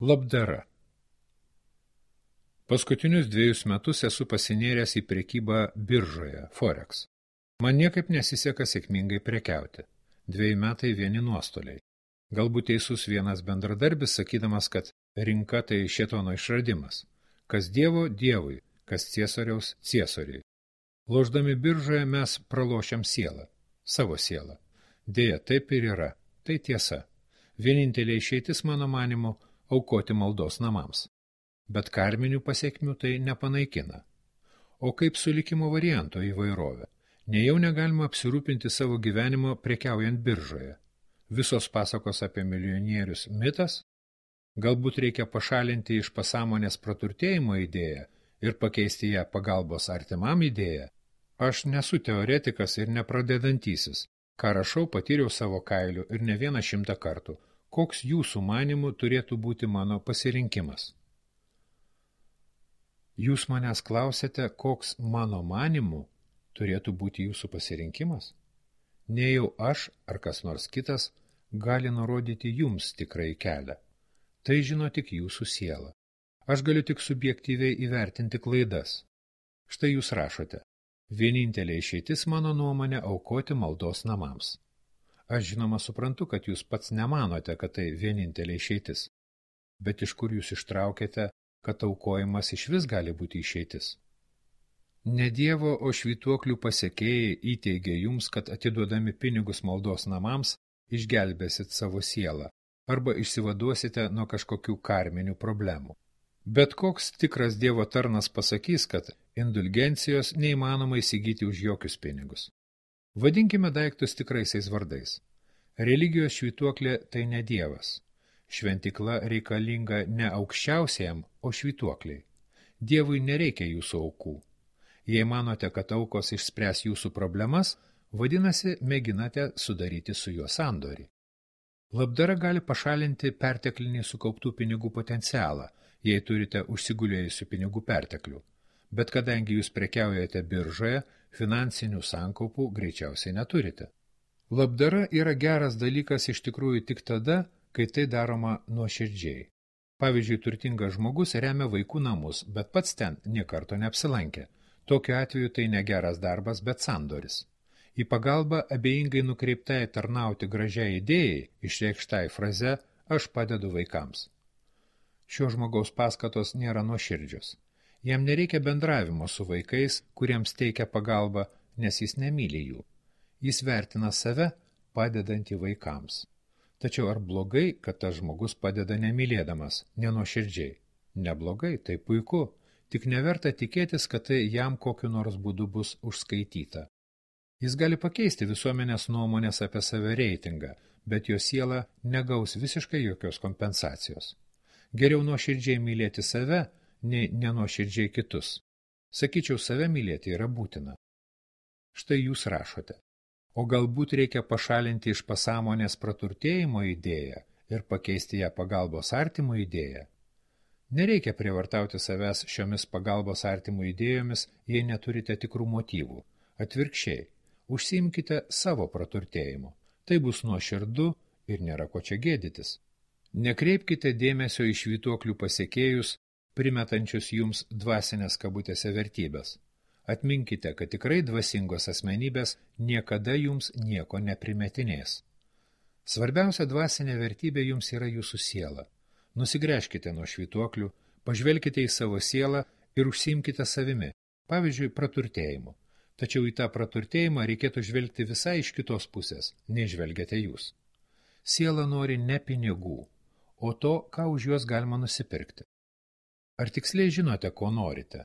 Labdara. Paskutinius 2 metus esu pasinėręs į prekybą biržoje, Forex. Man niekaip nesiseka sėkmingai prekiauti. 2 metai vieni nuostoliai. Galbūt teisus vienas bendradarbis, sakydamas, kad rinka tai šėtono išradimas. Kas Dievo – Dievui, kas Ciesoriaus – Ciesoriui. Lošdami biržoje mes pralošiam sielą, savo sielą. Deja, taip ir yra, tai tiesa. Vienintelė išeitis, mano manimu, aukoti maldos namams. Bet karminių pasekmių tai nepanaikina. O kaip su likimo varianto įvairovė? Nejau negalima apsirūpinti savo gyvenimo prekiaujant biržoje. Visos pasakos apie milijonierius mitas? Galbūt reikia pašalinti iš pasąmonės praturtėjimo idėją ir pakeisti ją pagalbos artimam idėją? Aš nesu teoretikas ir nepradedantysis. Ką rašau, patyriau savo kailiu ir ne 100 kartų. Koks jūsų manimų turėtų būti mano pasirinkimas? Jūs manęs klausėte, koks mano manimų turėtų būti jūsų pasirinkimas? Nejau aš ar kas nors kitas gali nurodyti jums tikrai kelią. Tai žino tik jūsų siela. Aš galiu tik subjektyviai įvertinti klaidas. Štai jūs rašote. Vienintelė išeitis mano nuomonė aukoti maldos namams. Aš žinoma suprantu, kad jūs pats nemanote, kad tai vienintelė išeitis. Bet iš kur jūs ištraukėte, kad aukojimas išvis gali būti išeitis? Ne Dievo, o švytuoklių pasekėjai įteigė jums, kad atiduodami pinigus maldos namams išgelbėsit savo sielą arba išsivaduosite nuo kažkokių karminių problemų. Bet koks tikras Dievo tarnas pasakys, kad indulgencijos neįmanoma įsigyti už jokius pinigus. Vadinkime daiktus tikraisiais vardais. Religijos švytuoklė tai ne Dievas. Šventikla reikalinga ne aukščiausiajam, o švytuokliai. Dievui nereikia jūsų aukų. Jei manote, kad aukos išspręs jūsų problemas, vadinasi, mėginate sudaryti su juo sandorį. Labdara gali pašalinti perteklinį sukauptų pinigų potencialą, jei turite užsigulėjusių pinigų perteklių. Bet kadangi jūs prekiaujate biržoje, finansinių sankaupų greičiausiai neturite. Labdara yra geras dalykas iš tikrųjų tik tada, kai tai daroma nuoširdžiai. Pavyzdžiui, turtingas žmogus remia vaikų namus, bet pats ten nė karto neapsilankė. Tokiu atveju tai ne geras darbas, bet sandoris. Į pagalbą abejingai nukreiptai tarnauti gražiai idėjai, išreikštai fraze aš padedu vaikams. Šio žmogaus paskatos nėra nuoširdžios. Jam nereikia bendravimo su vaikais, kuriems teikia pagalbą, nes jis nemyli jų. Jis vertina save, padedantį vaikams. Tačiau ar blogai, kad tas žmogus padeda nemylėdamas, nenuoširdžiai? Neblogai, tai puiku, tik neverta tikėtis, kad tai jam kokiu nors būdu bus užskaityta. Jis gali pakeisti visuomenės nuomonės apie save reitingą, bet jo siela negaus visiškai jokios kompensacijos. Geriau nuoširdžiai mylėti save, nei nenuoširdžiai kitus. Sakyčiau, save mylėti yra būtina. Štai jūs rašote. O galbūt reikia pašalinti iš pasąmonės praturtėjimo idėją ir pakeisti ją pagalbos artimų idėją? Nereikia prievartauti savęs šiomis pagalbos artimų idėjomis, jei neturite tikrų motyvų. Atvirkščiai, užsiimkite savo praturtėjimu. Tai bus nuoširdu ir nėra ko čia gėdytis. Nekreipkite dėmesio į švytuoklių pasekėjus, primetančius jums dvasinės kabutėse vertybės. Atminkite, kad tikrai dvasingos asmenybės niekada jums nieko neprimetinės. Svarbiausia dvasinė vertybė jums yra jūsų siela. Nusigręžkite nuo švytuoklių, pažvelkite į savo sielą ir užsiimkite savimi, pavyzdžiui, praturtėjimu. Tačiau į tą praturtėjimą reikėtų žvelgti visai iš kitos pusės, nei žvelgiate jūs. Siela nori ne pinigų, o to, ką už juos galima nusipirkti. Ar tiksliai žinote, ko norite?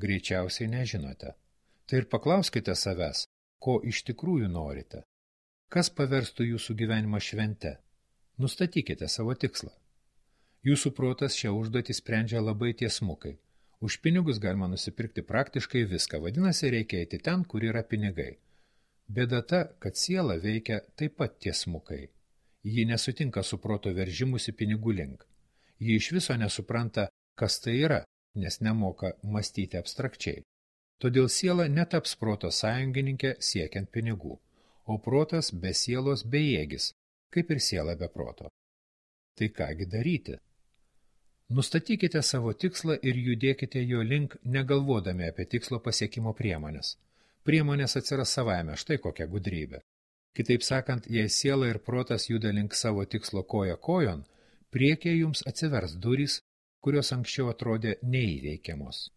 Greičiausiai nežinote. Tai ir paklauskite savęs, ko iš tikrųjų norite. Kas paverstų jūsų gyvenimą švente? Nustatykite savo tikslą. Jūsų protas šią užduotį sprendžia labai tiesmukai. Už pinigus galima nusipirkti praktiškai viską, vadinasi, reikia eiti ten, kur yra pinigai. Bėda ta, kad siela veikia taip pat tiesmukai. Ji nesutinka su proto veržimusi pinigų link. Ji iš viso nesupranta, kas tai yra, nes nemoka mąstyti abstrakčiai. Todėl siela netaps proto sąjungininkė siekiant pinigų, o protas be sielos bejėgis, kaip ir siela be proto. Tai kągi daryti? Nustatykite savo tikslą ir judėkite jo link, negalvodami apie tikslo pasiekimo priemonės. Priemonės atsiras savaime, štai kokia gudrybė. Kitaip sakant, jei siela ir protas juda link savo tikslo koja kojon, priekyje jums atsivers durys, kurios anksčiau atrodė neįveikiamos.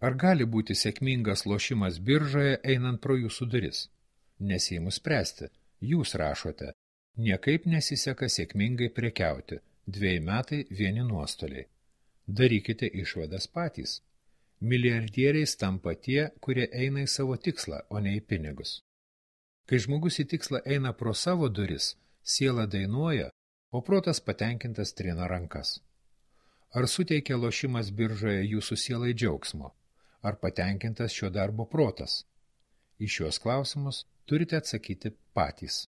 Ar gali būti sėkmingas lošimas biržoje einant pro jūsų duris? Nesiimu spręsti. Jūs rašote, niekaip nesiseka sėkmingai prekiauti, 2 metai vieni nuostoliai. Darykite išvadas patys. Milijardieriais tampa tie, kurie eina į savo tikslą, o ne į pinigus. Kai žmogus į tikslą eina pro savo duris, siela dainuoja, o protas patenkintas trina rankas. Ar suteikia lošimas biržoje jūsų sielai džiaugsmo? Ar patenkintas šio darbo protas? Į šios klausimus turite atsakyti patys.